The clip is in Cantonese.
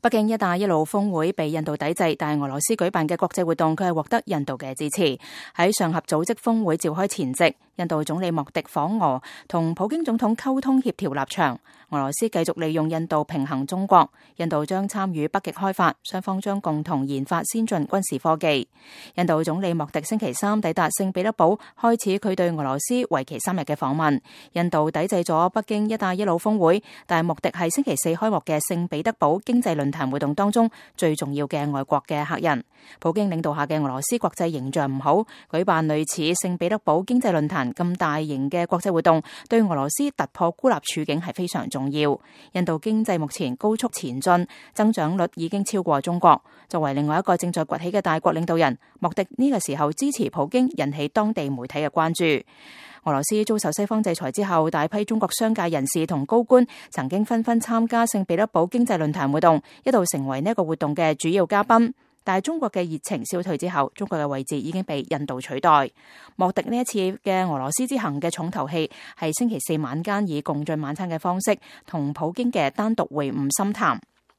北京一帶一路峰會被印度抵制，但係俄羅斯舉辦嘅國際活動佢係獲得印度嘅支持。喺上合組織峰會召開前夕，印度總理莫迪訪俄，同普京總統溝通協調立場。俄羅斯繼續利用印度平衡中國，印度將參與北極開發，雙方將共同研發先進軍事科技。印度總理莫迪星期三抵達聖彼得堡，開始佢對俄羅斯為期3日嘅訪問。印度抵制咗北京一帶一路峰會，但係莫迪係星期四開幕嘅聖彼得堡經濟論壇活動當中最重要嘅外國嘅客人。普京領導下嘅俄羅斯國際形象唔好，舉辦類似聖彼得堡經濟論壇咁大型嘅國際活動，對俄羅斯突破孤立處境係非常重要。印度經濟目前高速前進，增長率已經超過中國。作為另外一個正在崛起嘅大國領導人，莫迪呢個時候支持普京，引起當地媒體嘅關注。俄羅斯遭受西方制裁之後，大批中國商界人士同高官曾經紛紛參加聖彼得堡經濟論壇活動，一度成為呢個活動嘅主要嘉賓。但係中國嘅熱情消退之後，中國嘅位置已經被印度取代。莫迪呢一次嘅俄羅斯之行嘅重頭戲係星期四晚間以共進晚餐嘅方式同普京嘅單獨會晤深談。